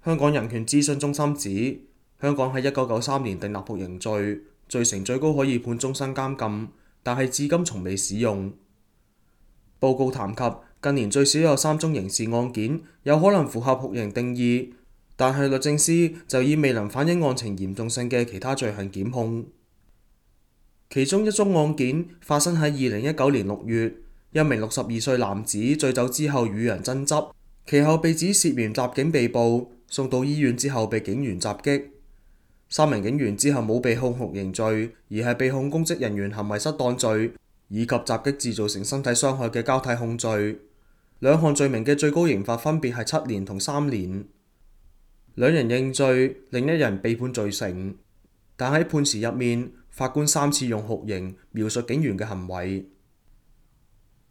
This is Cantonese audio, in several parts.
香港人權諮詢中心指，香港喺1993年訂立酷刑罪，罪成最高可以判終身監禁，但係至今從未使用。報告談及近年最少有3宗刑事案件有可能符合酷刑定義，但係律政司就以未能反映案情嚴重性嘅其他罪行檢控。其中一宗案件發生喺2019年6月，一名62歲男子醉酒之後與人爭執，其後被指涉嫌襲警被捕，送到醫院之後被警員襲擊。3名警員之後冇被控酷刑罪，而係被控公職人員行為失當罪以及襲擊致造成身體傷害嘅交替控罪。兩項罪名嘅最高刑罰分別係7年同3年。兩人認罪，另一人被判罪成，但喺判詞入面，法官3次用酷刑描述警員嘅行為。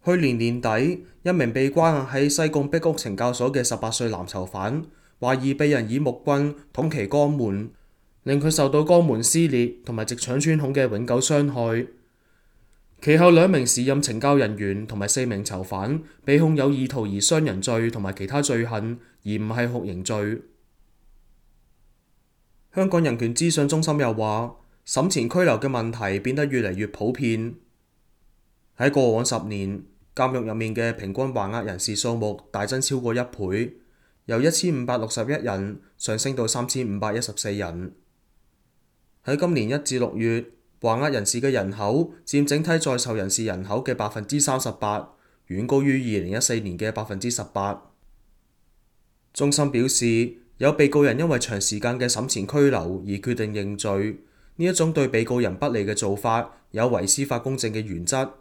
去年年底，一名被關押喺西貢壁屋懲教所嘅18歲男囚犯，懷疑被人以木棍捅其肛門，令佢受到肛門撕裂同埋直腸穿孔嘅永久傷害。其後2名時任懲教人員同埋4名囚犯被控有意圖而傷人罪同埋其他罪行，而唔係酷刑罪。香港人權諮詢中心又話，審前拘留嘅問題變得越嚟越普遍。喺過往10年，監獄入面嘅平均還押人士數目大增超過1倍，由1561人上升到3514人。喺今年1至6月，還押人士嘅人口佔整體在囚人士人口嘅38%，遠高於2014年嘅18%。中心表示，有被告人因為長時間嘅審前拘留而決定認罪，呢一種對被告人不利嘅做法有違司法公正嘅原則。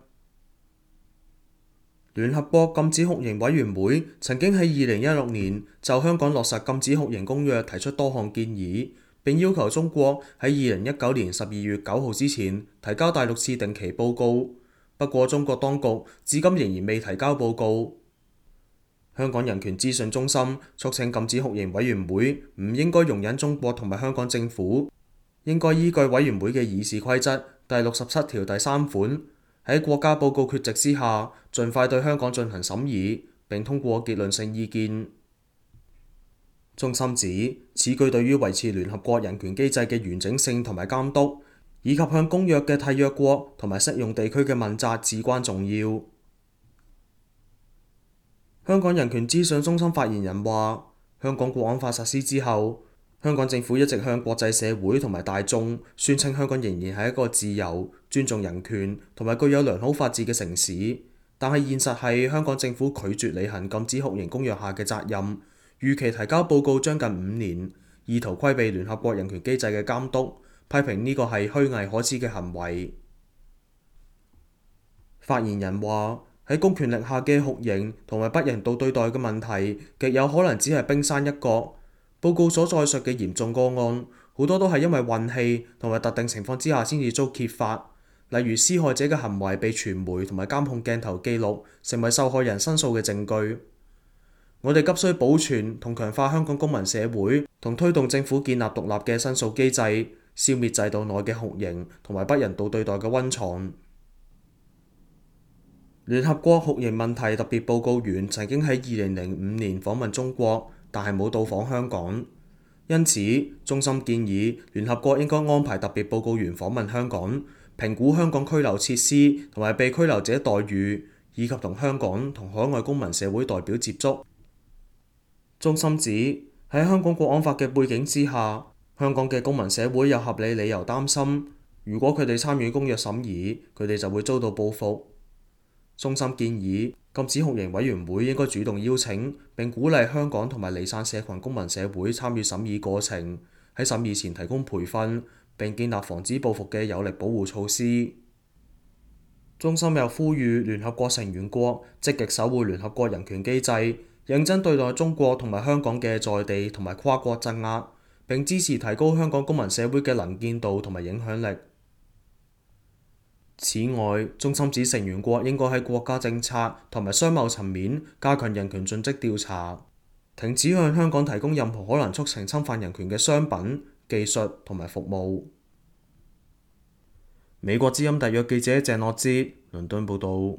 聯合國禁止酷刑委員會曾經喺2016年就香港落實禁止酷刑公約提出多項建議，並要求中國喺2019年12月9號之前提交第6次定期報告。不過中國當局至今仍然未提交報告。香港人權諮詢中心促請禁止酷刑委員會唔應該容忍中國同埋香港政府，應該依據委員會嘅議事規則第67條第3款，喺國家報告缺席之下，盡快對香港進行審議，並通過結論性意見。中心指，此舉對於維持聯合國人權機制嘅完整性同埋監督，以及向公約嘅締約國同埋適用地區嘅問責至關重要。香港人權諮詢中心發言人話，香港國安法實施之後，香港政府一直向國際社會同埋大眾宣稱香港仍然係一個自由、尊重人權同埋具有良好法治嘅城市，但係現實係香港政府拒絕履行禁止酷刑公約下嘅責任，逾期提交報告將近5年，意圖規避聯合國人權機制嘅監督，批評呢個係虛偽可恥嘅行為。發言人話，喺公權力下嘅酷刑同埋不人道對待嘅問題，極有可能只係冰山一角。報告所載述嘅嚴重個案，好多都係因為運氣同埋特定情況之下先至遭揭發，例如施害者嘅行為被傳媒同埋監控鏡頭記錄，成為受害人申訴嘅證據。我哋急需保存同強化香港公民社會，同推動政府建立獨立嘅申訴機制，消滅制度內嘅酷刑同埋不人道對待嘅溫床。聯合國酷刑問題特別報告員曾經喺2005年訪問中國，但係冇到訪香港。因此，中心建議聯合國應該安排特別報告員訪問香港，評估香港拘留設施同埋被拘留者待遇，以及同香港同海外公民社會代表接觸。中心指，喺香港國安法嘅背景之下，香港嘅公民社會有合理理由擔心，如果佢哋參與公約審議，佢哋就會遭到報復。中心建議禁止酷刑委員會應該主動邀請並鼓勵香港同埋離散社群公民社會參與審議過程，喺審議前提供培訓，並建立防止報復嘅有力保護措施。中心又呼籲聯合國成員國積極守護聯合國人權機制，認真對待中國同埋香港嘅在地同埋跨國鎮壓，並支持提高香港公民社會嘅能見度同埋影響力。此外，中心指成員國應該喺國家政策同埋商貿層面加強人權盡職調查，停止向香港提供任何可能促成侵犯人權嘅商品、技術同埋服務。美國之音特約記者鄭樂之倫敦報導。